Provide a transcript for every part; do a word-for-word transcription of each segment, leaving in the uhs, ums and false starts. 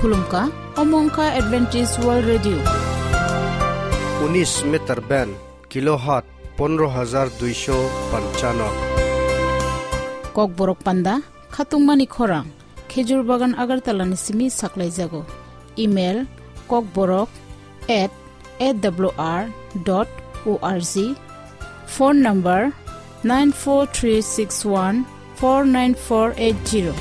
Khulumkha, omo wngkha Adventist World Radio. Unis meter band, kilohertz pondro hajar duisho panchano. Kokborok panda, khatungmani khorang, Khejur Bagan Agartala ni simi saklaijago. Email, kokborok at A W R dot org. Phone number, nine four three six one four nine four eight zero.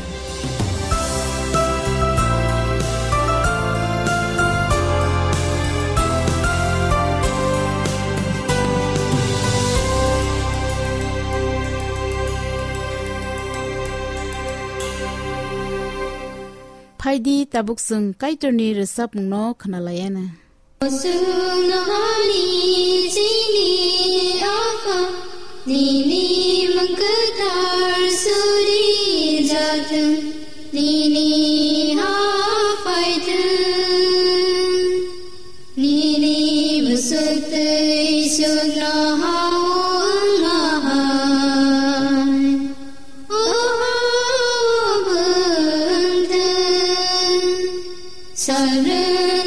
Phaidi tabuk chwng Kaitorni rwchapmungno khwnalaiana. Oswng nohani chini Apha, nini mung kwthar suri jathwng, nini ha phaithwng, nini bwswk twi sukno ha wng ma hai. Oho bwntwng sarwng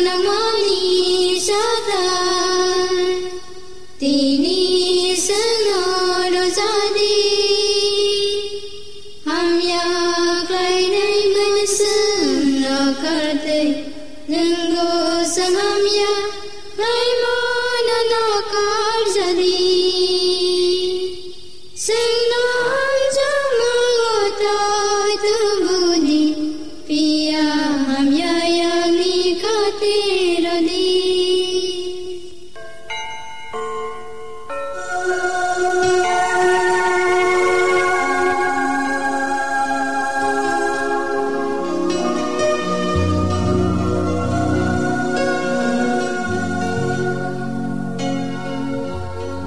nangmani sadar, tini sengno rwjadi. Hamya khlainai mwswng nakartwi, nwng gosam hamya khlaimano nakarjadi. Sengno hamjakmano tai tubudi, piya hamya yangni khatirodi.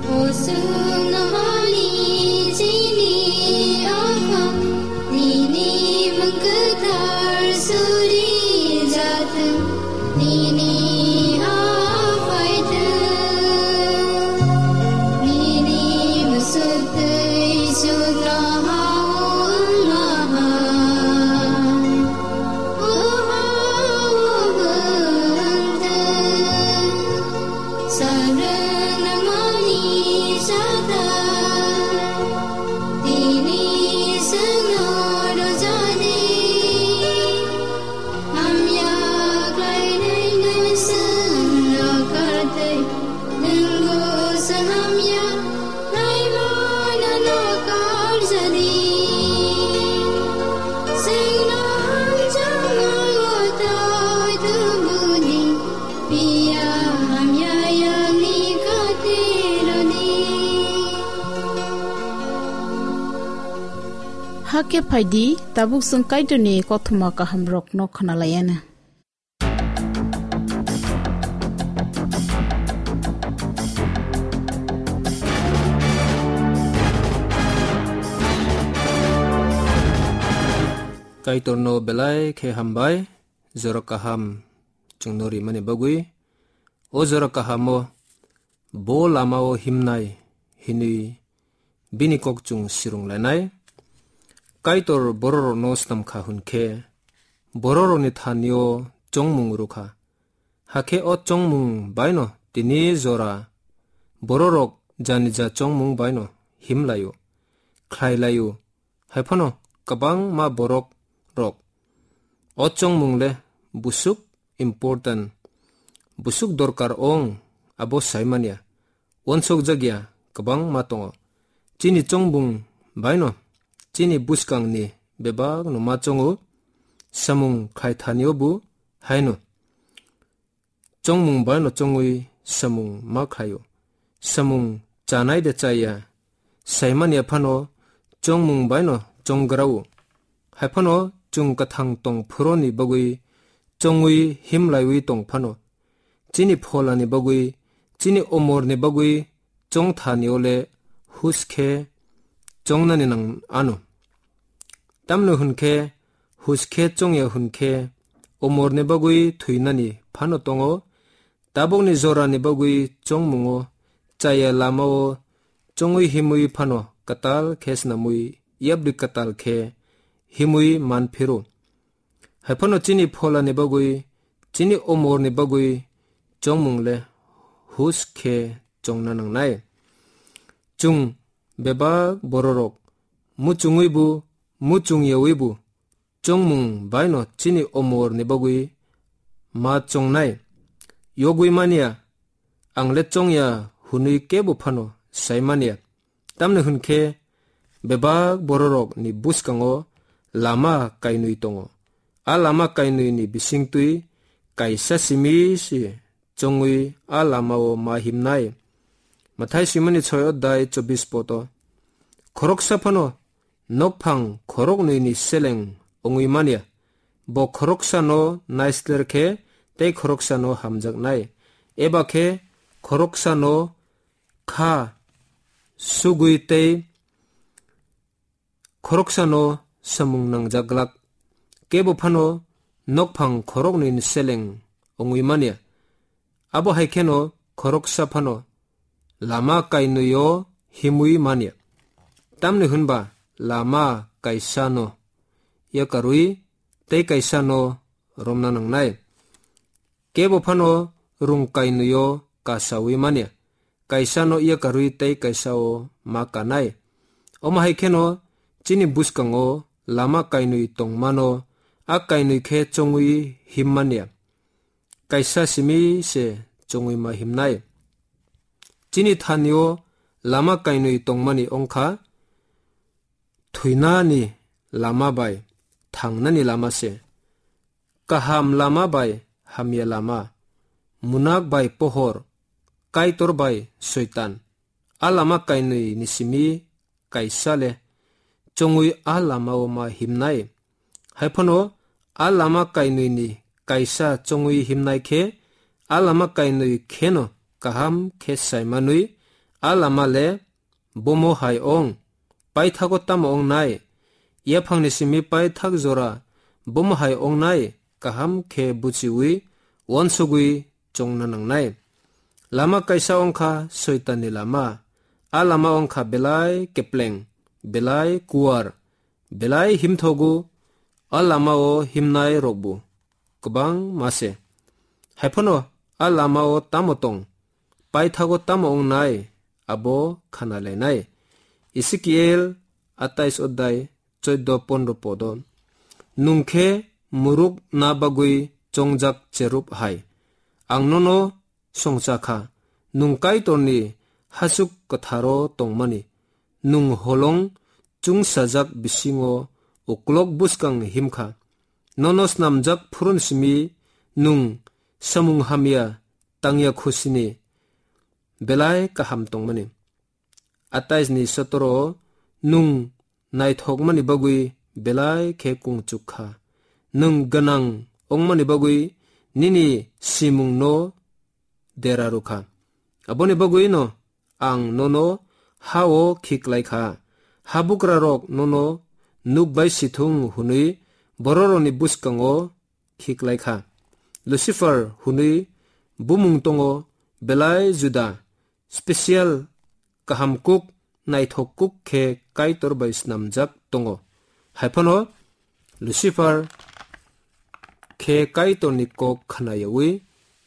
Oswng nohani chini Apha, nini mung kwthar suri jathwng, nini ha phaithwng, nini bwswk twi sukno ha wng ma hai. Oho bwntwng sarwng nangmani sadar, tini sengno rwjadi. Hamya khlainai mwswng nakartwi, nwng gosam hamya khlaimano nakarjadi. Sengno hamjakmano tai tubudi, piya hamya yangni khatirodi. Hakhe phaidi, tabuk chwng Kaitorni kothoma kahamrokno khwnalaiana. Kaitorno belai khe hambai, jora kaham chwngno rimani bagwi. O jora kahamo bo lamao himnai hinwi bini kok chwng sirung lainai. Kaitor bororokno snam kha hwn khe, bororokni thani-o chongmung rw kha. Hakhe o chongmung bai'-no tini jora bororok jani ja chongmung bai'-no him lai-o, khlai lai-o. Hai phano kwbangma borok rok o chongmung le busuk important, busuk dorkar ong, abo sai manya, uansuk jak ya kwbangma tongo. Chini chongmung bai'-no chini bwskang ni bebak no ma chongo, samung khai thani o bo hai no. Chongmung bai no chongwi samung ma khlaio. Samung chanai de chaya, saimanya phano chongmung bai no chonggrao. Hai phano chwng kwthang tong phuroni bagwi chongwi himlaiwi tong phano, chini pholani bagwi, chini omorni bagwi chongthani ole hus khe chongnani nang ano. Tamno hwn khe, hus khe chongya hwn khe, omorni bagwi thwinani phano tongo, tabukni jorani bagwi chongmungo chaya lamao chongwi himwi phano kwtal khe snamwi yapri kwtal khe himwi man phiro. Hai phano chini pholani bagwi, chini omorni bagwi chongmung le hus khe chongna nangnai. Chwng bebak bororok muchungwi bo, muchung yawi bo chongmung baino chini omorni bagwi ma chongnai. Yogwi manya, ang le chongya hwnwi kebo phano sai manya. Tamni hwn khe bebak bororokni bwskango lama kainwi tongo. A lama kainwini bisingtwi kaisa simi se chongwi a lamao ma himnai. Mathai swimani soi odai chobbish poto. Khoroksa phano nokphang khoroknwini seleng wngwi manya. Bo khoroksano naisler khe tei khoroksano hamjaknai. Eba khe khoroksano kha sugwi tei khoroksano samung nangjaglak. Kebo phano nokphang khoroknwini seleng wngwi manya. Abo hai kheno khoroksa phano lama kainwio himwi manya. Tamni hwnba lama kaisano yakarwi tei kaisano romna nangnai. Kebo phano rung kainwio kasawi manya. Kaisano yakarwi tei kaisao ma kanai. Omo hai kheno chini bwskango lama kainwi tongmano, a kainwi khe chongwi himmanya. Kaisa simi se chongwi ma himnai. Chini thanio lama kainwi tongmani wngkha thwinani lama bai thangnani lama se. Kaham lama bai hamya lama, munak bai pohor, Kaitor bai Soitan. A lama kainwi ni simi kaisa le chongwi a lamao ma himnai. Hai phano a lama kainwi ni kaisa chongwi himnai khe a lama kainwi kheno kaham khe saimanwi a lama le bomo hai ong, paithago tamo ong nai? Yaphangni simi paithak jora bomo hai ong nai? Kaham khe buchiwi, uansugwi chongna nangnai. Lama kaisa ongkha Soitanni lama. A lama ongkha belai kepleng, belai kuar, belai himthogo. A lamao himnai rokbo kwbangma se. Hai phano a lamao tamo tong, paithago tamo wngnai, abo khana lainai. Ezekiel atais odai choido pondro podo. Nwng khe muruk na bagwi chongjak cherub hai. Ang nono songcha kha, nwng Kaitorni hasuk kwtharo tongmani. Nwng holong chungsajak bisingo uklok bwskang himkha. Nono snamjak phurun simi nwng samung hamya tangya khusini belai kaham tongmani. Atais ni sotoro nwng naithokmani bagwi belai khe kungchuk kha. Nwng gwnang wngmani bagwi nini simungno dera rwkha. Aboni bagwino ang nono ha-o khiklai kha. Habugrarok nono nuk bai si thung hwnwi bororokni bwskango khiklai kha. Lucifer hwnwi bumung tongo, belai juda, special, kaham kuk, naithok kuk khe Kaitor bai snamjak tongo. Hai phano Lucifer khe Kaitorni kok khnayawi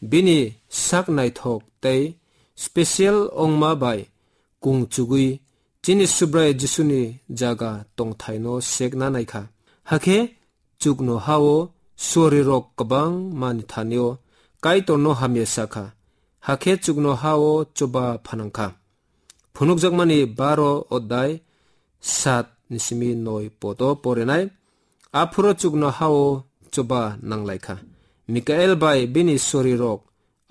bini sak naithok tei special ongma bai kung chugwi chini Subrai Jisuni jaga tongthaino sekna naikha. Hakhe chukno ha-o suarirok kwbangmani thanio Kaitorno hamya sakha. Hakhe chukno ha-o choba phanangkha. Phunukjakmani baro odai sat ni simi noi poto porinai. Aphuru chukno ha-o choba nanglaikha. Mikael bai bini sorirok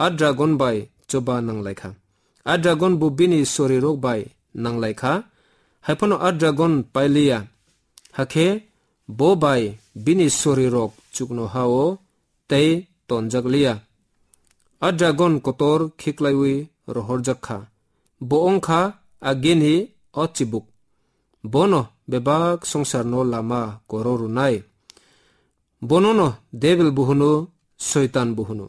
a dragon bai choba nanglaikha. A dragon bo bini sorirok bai nanglaikha. Haiphano a dragon pailiya. Hakhe bo bai bini sorirok chukno ha-o tei tonjak liya. A dragon kotor khiklaiwi rohorjak kha. Bo wng kha agini o chibuk. Bono bebak songsarno lama koro rwnai. Bonono Debil bo hwno, Soitan bo hwno.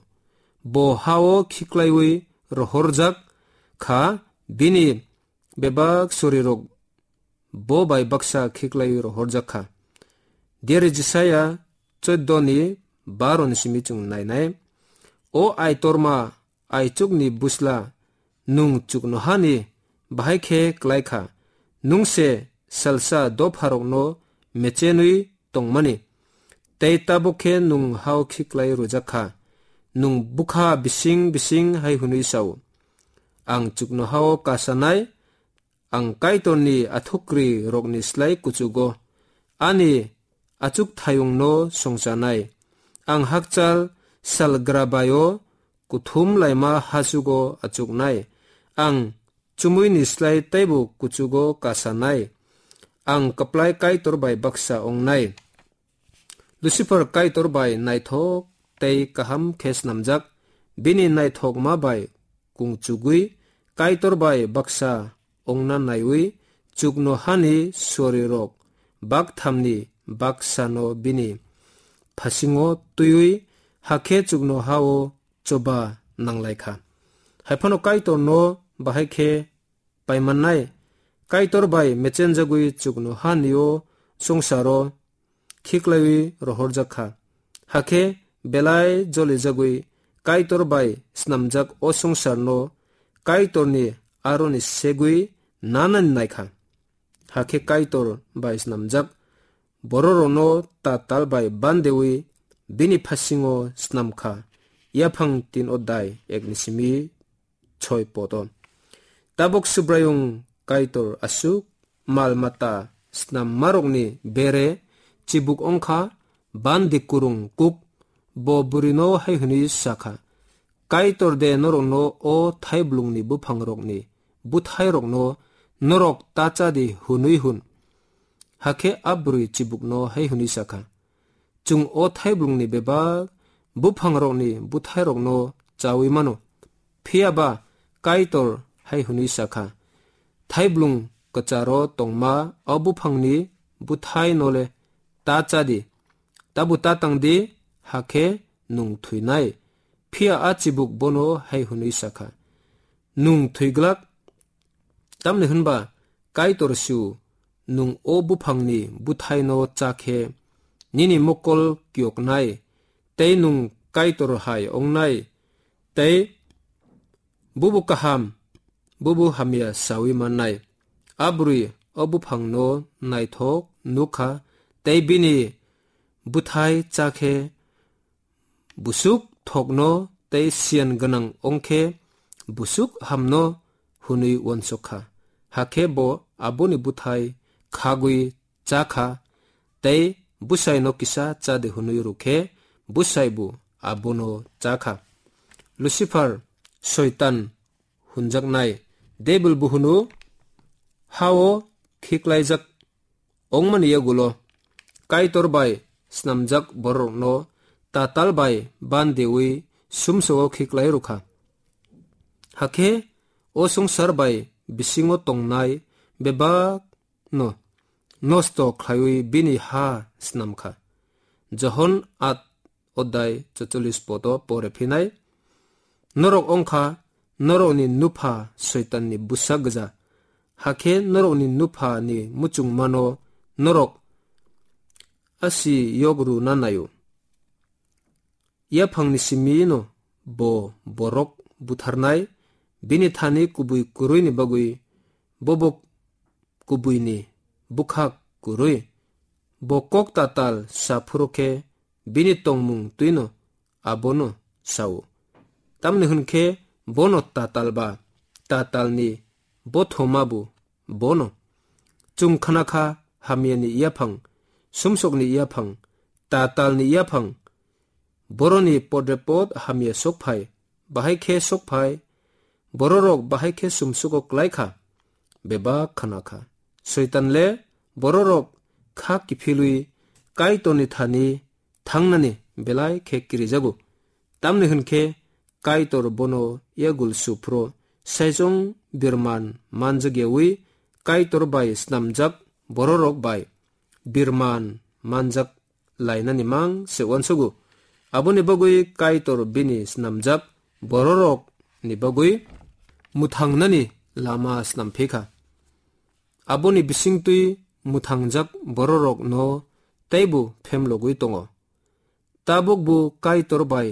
Bo ha-o khiklaiwi rohorjak kha, bini bebak sorirok bo bai baksa khiklaiwi rohorjak kha. Diari Jisaya chuddo ni baro ni simi chwng nainai. O Aitorma, aichukni busla, nwng chuknohani bahai khe klai kha. Nwng se salsa dopharokno mechenwi tongmani, tei tabuk khe nwng ha-o khiklai rwjak kha. Nwng bwkha bising bising hai hwnwi sa-o, "Ang chuknoha-o kasanai, ang Kaitorni athukrwi rokni slai kuchugo, ani achukthayungno songchanai. Ang hakchal salgra bai-o kuthum laima hachugo achuknai. Ang chumuini slai teibo kuchugo kasanai. Ang kwplai Kaitor bai baksa ongnai." Lucifer Kaitor bai naithok tei kaham khe snamjak, bini naithokma bai kungchugwi Kaitor bai baksa ongna naiwi chuknohani sorirok bakthamni baksano bini phasingo twiwi hakhe chuknoha-o choba nanglai kha. Haiphano Kaitorno bahai khe paimannai. Kaitor bai mechenjagwi chuknohani o songsaro khiklaiwi rohorjak kha. Hakhe belai jolijagwi Kaitor bai snamjak o songsarno Kaitorni aroni segwi nanani nai kha. Hakhe Kaitor bai snamjak bororokno tatal bai bandewi bini phasingo snam kha. Yaphang tin odai ek ni simi choi poto. Tabuk Subraiyung Kaitor aswk mal mata snammarokni bere chibuk ongkha, bandi kurung kuk, bo bwrwino hai hwnwi sa kha, "Kaitor de norokno o thaiblungni buphangrokni buthairokno norok ta cha di?" hwnwi hwn. Hakhe a bwrwi chibukno hai hwnwi sa kha, "Chwng o thaiblungni bebak buphangrokni buthairokno chaui mano." Phiya ba Kaitor hai hwnwi sa kha, "Thaiblung kwcharo tongma o buphangni buthaino le ta cha di, tabuk ta tang di, hakhe nwng thwinai." Phiya a chibuk bono hai hwnwi sa kha, "Nwng thwi glak, tamni hwn ba Kaitor si-o, nwng o buphangni buthaino cha khe nini mokol kiyoknai, tei nwng Kaitor hai ongnai, tei bubo kaham, bubo hamya saui mannai." A bwrwi o buphangno naithok nuk kha, tei bini bwthai cha khe busuk thokno tei siyan gwnang ongkhe busuk hamno hwnwi uansuk kha. Hakhe bo aboni bwthai khagwi cha kha, tei bwsaino kisa cha di hwnwi rw khe bwsaibo abono cha kha. Lucifer, Soitan hwnjaknai Debil bo hwno, ha-o khiklaijak ongmani yagulo Kaitor bai snamjak bororokno tatal bai bandewi sumsogo khiklai rw kha. Hakhe o swngchar bai bisingo tongnai bebak no nosto khlaiwi bini ha snam kha. Johon at odai chotolish poto pore phinai, "Norok ongkha norokni nupha Soitanni bwsa gwja, hakhe norokni nuphani muchungmano norok asi yogru na naio. Yaphangni simino bo borok butharnai, bini thani kubui kwrwini bagwi bobo kubuini bwkhak kwrwi. Bo kok tatal sa phuru khe bini tongmung twino abono sa-o. Tamni hwn khe bono tatal ba tatalni bothomabo bono. Chwng khna kha hamyani yaphang, sumsokni yaphang, tatalni yaphang, boroni podrepot hamya sokphai, bahai khe sokphai, bororok bahai khe sumsugo klai kha, bebak khna kha. Soitan le bororok kha kiphilwi Kaitorni thani thangnani belai khe kirijago. Tamni hwn khe Kaitor bono yagul su phuru saichung birman manjak yaui Kaitor bai snamjak bororok bai birman manjak lainani mang se uansugo. Aboni bagwi Kaitor bini snamjak bororokni bagwi mwthangnani lama snamphikha. Aboni bisingtwi mwthangjak bororokno teibo phemlogwi tongo. Tabukbo Kaitor bai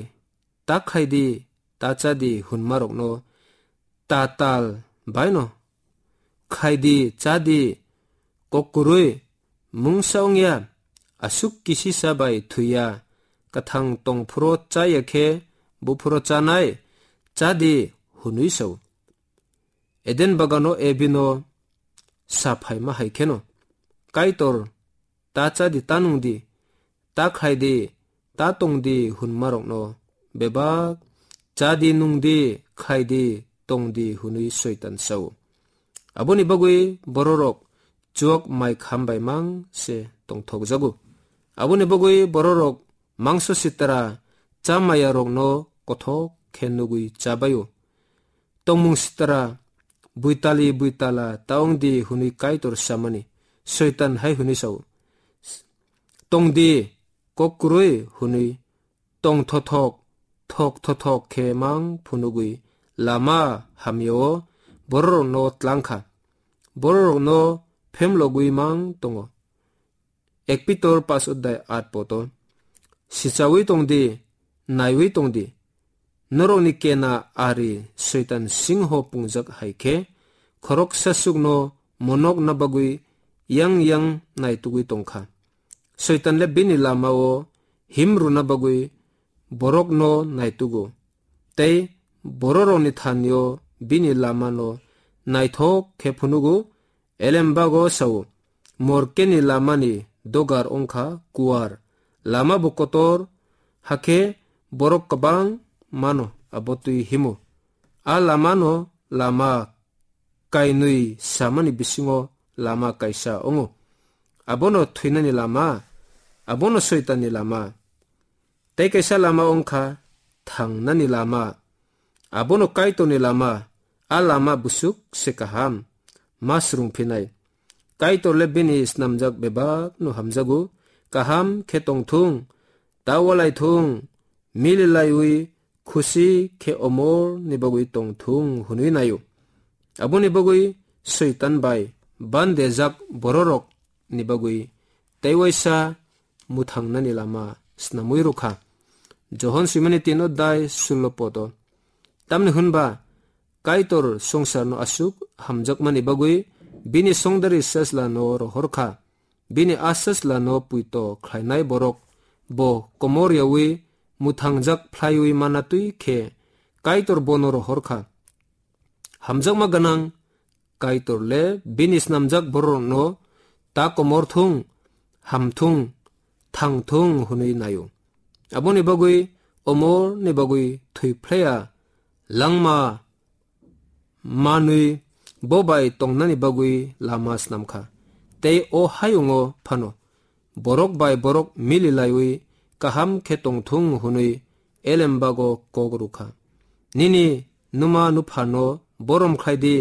ta khai di, ta cha di hwnmarokno ta tal baino khai di, cha di, kok kwrwi mungsa wngya, aswk kisisa bai thwiya, kwthang tong phuru chaya khe buphuru chanai, cha di hwnwi sao. Eden bagano Ebino sa phaima hai kheno, Kaitor ta cha di, ta nung di, ta khai di, ta tong di hwnmarokno bebak cha di, nung di, khai di, tong di hwnwi Soitan sao. Aboni bagwi bororok chuak mai kham bai mang se tongthokjago. Aboni bagwi bororok mangso sitra cha maya rokno kothok khe nugwi chabaio. Tongmung sitra buitali buitala ta wng di hwnwi Kaitor samani, Soitan hai hwnwi sao. Tong di, kok kwrwi hwnwi tong thothok, thok thothok khe mang phunugwi lama hamyao bororokno tlangkha, bororokno phemlogwi mang tongo. Ek Pitor pas odai at poto, sichawi tong di, naiwi tong di, norokni kena ari Soitan singho pungjak hai khe, khoroksa sukno monokna bagwi yang yang naitugwi tongkha. Soitan le bini lamao him rwna bagwi borokno naitugo, tei bororokni thanio bini lamano naithok khe phunugo. Elembago sao, morkeni lamani dogar wngkha kuar, lama bo kotor, hakhe borok kwbang mano abo twi himo. A lamano lama kainwi samani bisingo lama kaisa wngo. Abono thwinani lama, abono Soitanni lama. Tei kaisa lama wngkha thangnani lama, abono Kaitorni lama. A lama busuk se kaham, ma swrwngphinai. Kaitor le bini snamjak bebakno hamjago, kaham khe tongthung, ta walaithung, mililaiwi khusi khe omorni bagwi tongthung hwnwi naio. Aboni bagwi Soitan bai bandejak bororokni bagwi tei waisa mwthangnani lama snamwi rwkha. Johon swimani tino dai sullo poto. Tamni hwnba Kaitor swngcharno aswk hamjakmani bagwi bini songdari sasla no rohorkha. Bini a sasla no puito khlainai borok bo komor yawi mwthangjak phlaiwi manatwi khe Kaitor bono rohorkha. Hamjakma gwnang Kaitor le bini snamjak bororokno ta komor thung, ham thung, thang thung hwnwi naio. Aboni bagwi omorni bagwi thwi phlaiya langma manwi bo bai tongnani bagwi lama snamkha. Tei o hayungo phano borok bai borok mililaiwi kaham khe tongthung hwnwi elembago kok rwkha. Nini numa nuphano borom khlai di,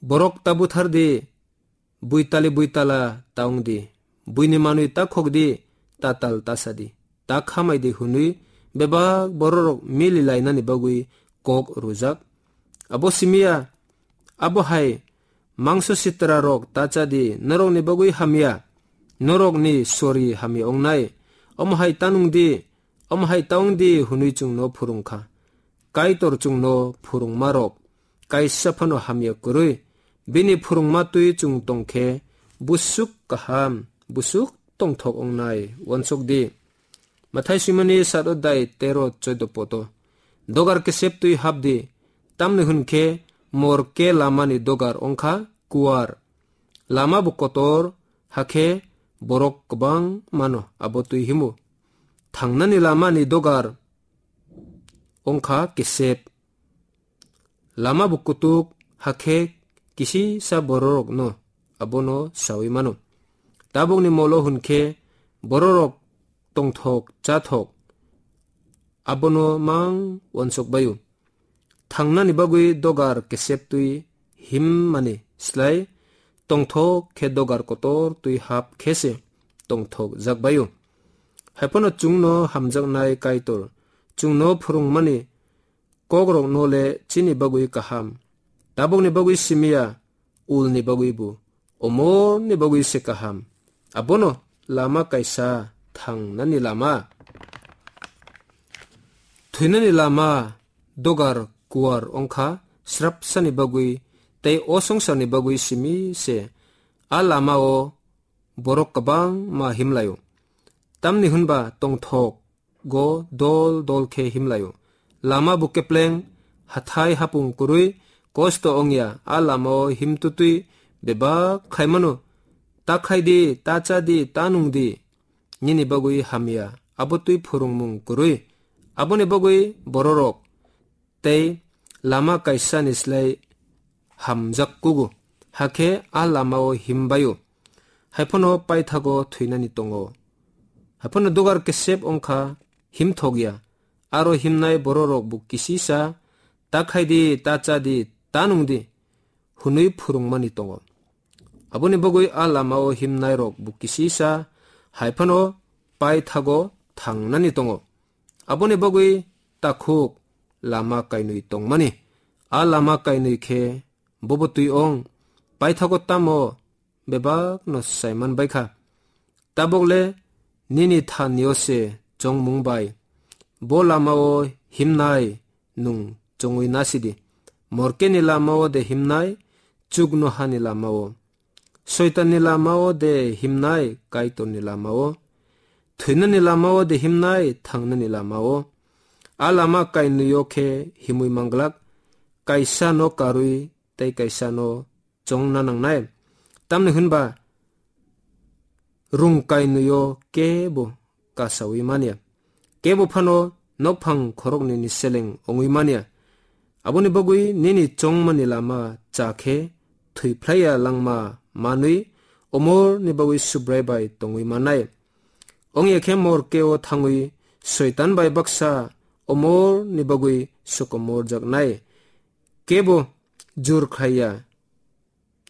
borok ta buthar di, buitali buitala ta wng di, buini manwi ta khok di, ta tal ta sa di, ta khamai di hwnwi bebak bororok mili lainani bagwi kok rwjak. Abo simi ya, abo hai mangso sitra rok ta cha di, norokni bagwi hamya, norokni sori hamya wngnai. Omo hai ta nung di, omo hai ta wng di hwnwi chwngno phwrwng kha. Kaitor chwngno phwrwngmarok kaisa phano hamya kwrwi, bini phwrwngma twi chwng tong khe busuk kaham, busuk tongthok wngnai. Uansuk di, Mathai swimani sat odai tero choido poto. Dogar kesep twi hap di, tamni hwn khe mor ke lamani dogar wng kha kuar. Lama bo kotor, hakhe borok kwbang mano abo twi himo. Thangnani lamani dogar wng kha kesep. Lama bo kutuk, hakhe kisisa bororokno abono saui mano. Tabukni molo hwn khe bororok tongthok chathok abono mang uansuk baio. Thangnani bagwi dogar kesep twi himmani slai tongthok khe dogar kotor twi hap khe se tongthokjak bai-o. Hai phano chwngno hamjaknai Kaitor, chwngno phwrwngmani kokrokno le chini bagwi kaham. Tabukni bagwi simi ya, ulni bagwi bo, omorni bagwi se kaham. Abono lama kaisa thangnani lama. Thwinani lama dogar kuar wngkha srapsani bagwi tei o songsarni bagwi simi se. A lama-o borok kwbangma himlai-o. Tamni hwnba tongthok go dol dol khe himlai-o. Lama bo kepleng, hathai hapung kwrwi, kosto wngya, a lama-o himtutwi bebak khlai mano. Ta khai di, ta cha di, ta nung di. Nini bagwi hamya, abo twi phwrwngmung kwrwi. Aboni bagwi bororok tei lama kaisani slai hamjak kugo, hakhe a lama-o himbai-o, hai phano paithago thwinani tongo. Hai phano dogar kesep wngkha himthokya, aro himnai bororok bo kisisa, ta khai di, ta cha di, ta nung di, hwnwi phwrwngmani tongo. Aboni bagwi a lama-o himnairok bo kisisa, hai phano paithago thangnani tongo. Aboni bagwi takhuk lama kainwi tongmani. A lama kainwi khe bobo twi ong, paithago tamo bebakno saiman baikha. Tabukle nini thanio se chongmung bai bo lama-o himnai nwng chongwi nasidi. Morkeni lama-o de himnai, chuknohani lama-o. Soitanni lama-o de himnai, Kaitorni lama-o. Thwinani lama-o de himnai, thangnani lama-o. A lama kainwi-o khe himwi manglak, kaisa no karwi tei kaisa no chongna nangnai. Tamni hwnba rung kainwi-o kebo kasaui manya. Kebo phano nokphang khoroknwi ni seleng wngwi manya. Aboni bagwi nini chongmani lama cha khe thwi phlaiya langma manwi omorni bagwi Subrai bai tongwi mannai. Wngya khe morke-o thangwi Soitan bai baksa omorni bagwi sokomorjaknai. Kebo jur khlaiya.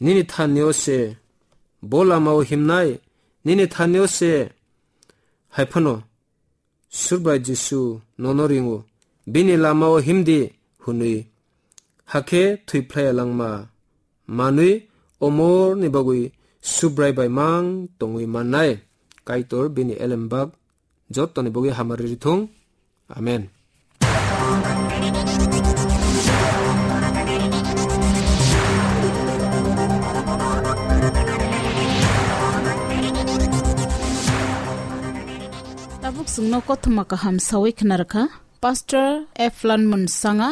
Nini thanio se bo lama-o himnai, nini thanio se hai phano Subrai Jisu nono ringo, bini lama-o himdi hwnwi. Hakhe thwi phlaiya langma manwi omorni bagwi Subrai bai mang tongwi mannai. Kaitor bini elembak jottoni bagwi hamari rithung. Amen. Tabuk chwngno kothoma kaham sawi khna rwkha Pastor Eflan Munsanga.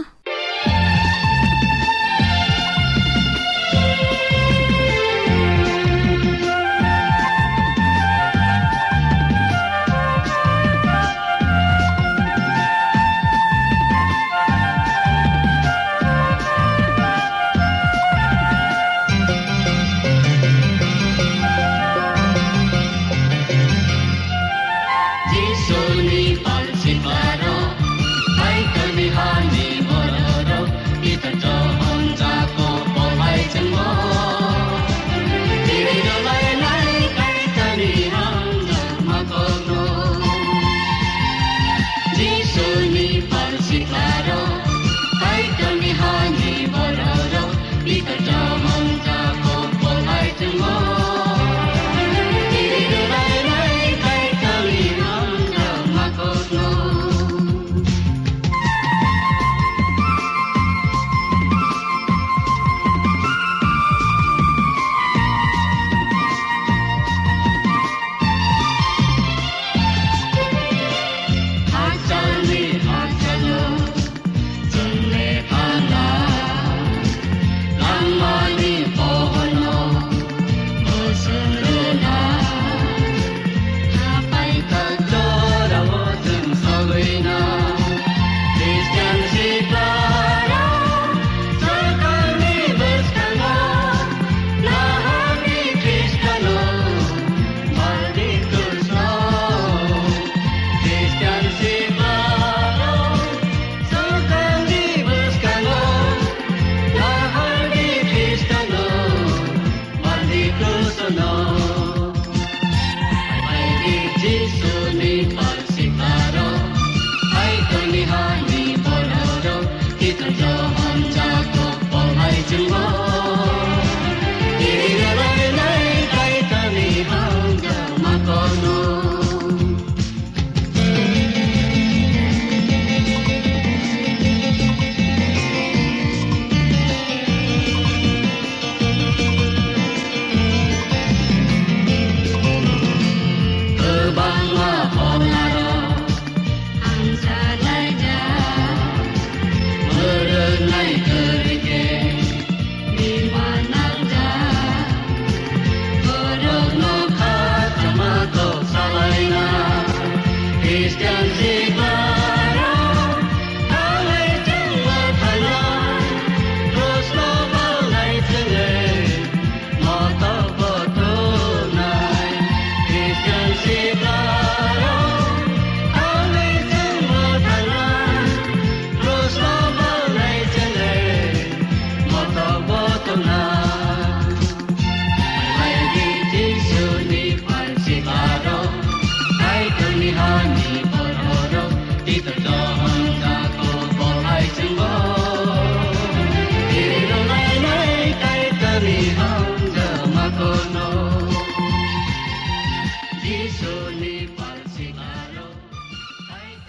Jisuni pal siklaro, Kaitorni hani bororok, Pitor Johon Jakob polai chengmo. Chiri dolai lai Kaitorni hamjakma kokno. Jisuni pal siklaro, Kaitorni hani bororok, Pitor Johon Jakob polai chengmo. Chiri dolai lai Kaitorni hamjakma kokno.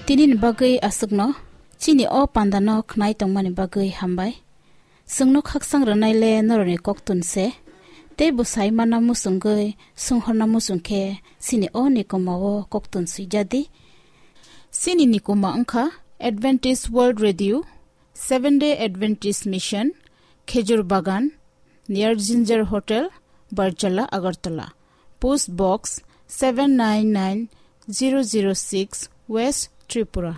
Tini ni bagwi aswkno, chini o panda no khnai tongmani bagwi hambai. Chwngno khaksang rwnai le norokni koktun se, tei bwsai manna muchungwi, swnghorna muchung khe chini o nikoma o koktun swijadi. Chini nikoma wngkha Adventist World Radio, Seven Day Adventist Mission, Khejur Bagan, near Ginger Hotel, Barjala, Agartala. Post Box seven nine nine zero zero six, West Tripura.